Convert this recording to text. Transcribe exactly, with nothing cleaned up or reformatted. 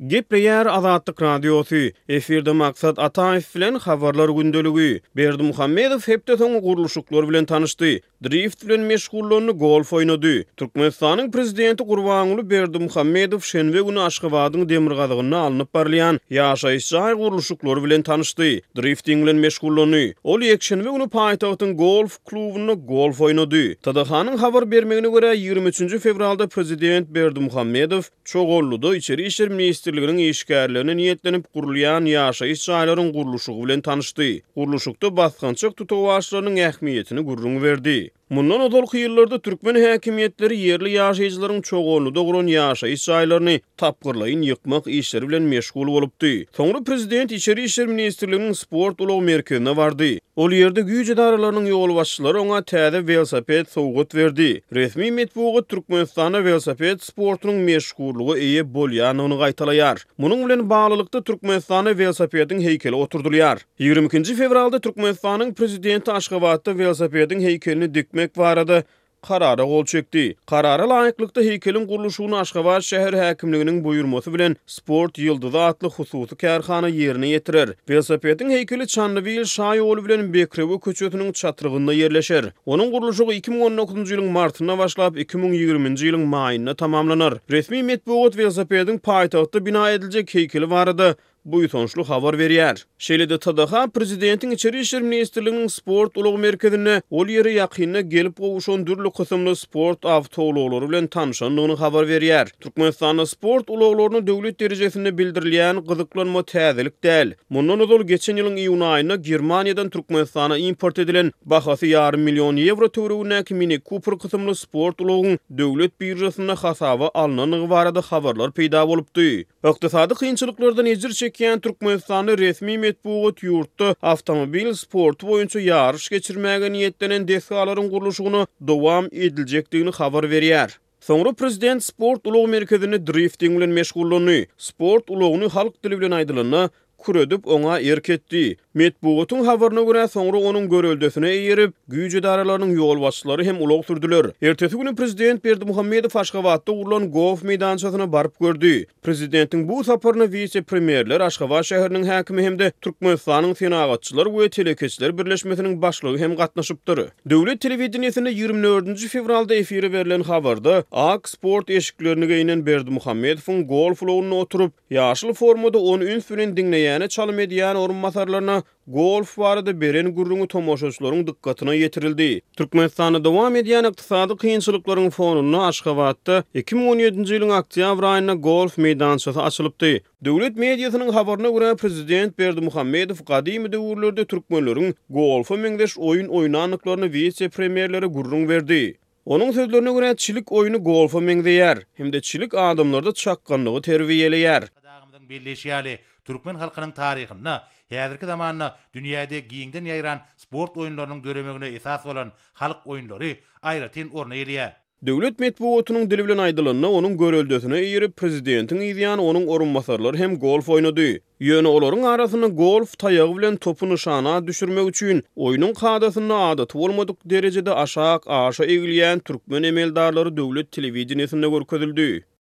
Gepleýär Azatlyk Radiosy, efirde Maksat Ataýew bilen Habarlar gündeligi. Berdimuhamedow hepde soňy gurluşyklar bilen tanyşdy. Drift bilen meşgullandy, golf oýnady. Türkmenistanyň prezidenti Gurbanguly Berdimuhamedow şenbe güni Aşgabadyň demirgazygynda alnyp barylýan ýaşaýyş jaý gurluşyklary bilen tanyşdy. Drifting bilen meşgullandy. Ol ýekşenbe güni paýtagtyň golf klubunda golf oýnady. T D H-nyň habar bermegine görä, ýigrimi üçünji fewralda prezident Berdimuhamedow Çoganlyda Içeri işler ministrliginiň işgärlerine niýetlenip gurulýan ýaşaýyş jaýlaryň gurluşygy bilen tanyşdy. Gurluşykda basgançak tutawaçlarynyň ähmiýetini gürrüň berdi. Mundan ozalky ýyllarda türkmen häkimiýetleri ýerli ýaşaýjylaryň Çoganlyda guran ýaşaýyş jaýlaryny tapgyrlaýyn ýykmak işleri bilen meşgul bolupdy. Soňra prezident Içeri işler ministrliginiň sport ulag merkezine bardy. Ol ýerde güýç edaralarynyň ýolbaşçylary oňa täze welosiped sowgat berdi. Resmi metbugat Türkmenistanda welosiped sportunyň meşhurlyga eýe bolýandygyny gaýtalaýar. Munuň bilen baglylykda Türkmenistanda welosipediň heýkeli oturdylýar. Ýigrimi ikinji fewralda Türkmenistanyň prezidenti Aşgabatda welosipediň heýkelini dikmek barada karara gol çekdi. Karara laýyklykda heýkeliň gurluşygyny Aşgabat şäher häkimliginiň buýurmasy bilen Sport ýyldyzy atly hususy kärhana ýerine ýetirer. Welosipediň heýkeli Çandybil şaýoly bilen Bekrewe köçesiniň çatrygynda ýerleşer. Onuň gurluşygy iki müň on dokuzynjy ýylyň martynda başlap, iki müň ýigriminji ýylyň maýynda tamamlanar. Resmi metbugat welosipediň paýtagtda bina ediljek heýkeli barada buýsançly habar berýär. Şeýle-de T D H prezidentiň Içeri işler ministrliginiň sport ulag merkezinde ol ýere ýakynda gelip gowşan dürli kysymly sport awtoulaglary bilen tanşandygyny habar berýär. Türkmenistanda sport ulaglaryna döwlet derejesinde bildirilýän gyzyklanma täzelik däl. Mundan ozal geçen ýylyň iýun aýynda Germaniýadan Türkmenistana import edilen bahasy ýarym million ýewro töweregindäki Mini Cooper kysymly sport ulagyň döwlet biržasynda hasaba alnandygy barada habarlar peýda bolupdy. Ykdysady kynçylyklardan ejir çekýän Türkmenistanda resmi metbugat ýurtda awtomobil sporty boýunça ýaryş geçirmäge niýetlenen desgalaryň gurluşygyna dowam ediljekdigini habar berýär. Soňra prezident sport ulag merkezinde drifting bilen meşgullandy. Sport ulagyny halk dili bilen aýdylanda, küredip oňa erk etdi. Metbugatyň habaryna görä, soňra onuň göreldesine eýerip, güýç edaralarynyň ýolbaşçylary hem ulag sürdüler. Ertesi güni prezident Berdimuhamedow Aşgabatda gurlan golf meýdançasyna baryp gördi. Prezidentiň bu saparyna wise-premýerler, Aşgabat şäheriniň häkimi hem-de Türkmenistanyň Senagatçylar we telekeçiler birleşmesiniň başlygy hem gatnaşypdyr. Döwlet telewideniýesinde ýigrimi dördünji fewralda efire berlen habarda ak sport eşiklerini geýnen Berdimuhamedowyň golf ulagynda oturyp, ýaşyl formada ony üns bilen diňleýäne çalym edýän orunbasarlaryna golf barada beren gürrüňi tomaşaçylaryň dykgatyna ýetirildi. Türkmenistanda dowam edýän ykdysady kynçylyklaryň fonunda Aşgabatda iki müň on ýedinji ýylyň oktýabr aýynda golf meýdançasy açylypdy. Döwlet mediasynyň habaryna görä, prezident Berdimuhamedow gadymy döwürlerde türkmenleriň golfa meňzeş oýun oýnandyklaryny wise-premýerlere gürrüň berdi. Onuň sözlerine görä, çilik oýny golfa meňzeýär hem-de çilik adamlarda çakganlygy terbiýeleýär. Arkadagymyzyň belleýşi ýaly, türkmen halkynyň taryhynda häzirki zamanda dünýäde giňden ýaýran sport oýunlarynyň döremegine esas bolan halk oýunlary aýratyn orun eýeleýär. Döwlet metbugatynyň dili bilen aýdylanda, onuň göreldesine eýerip, prezidentiň yzýany onuň orunbasarlary hem golf oýnady. Ýöne olaryň arasynda golf taýagy bilen topy nyşana düşürmek üçin oýnuň kadasynda adaty bolmadyk derejede aşak aşa egilýän türkmen emeldarlary döwlet telewideniýesinde görkezildi.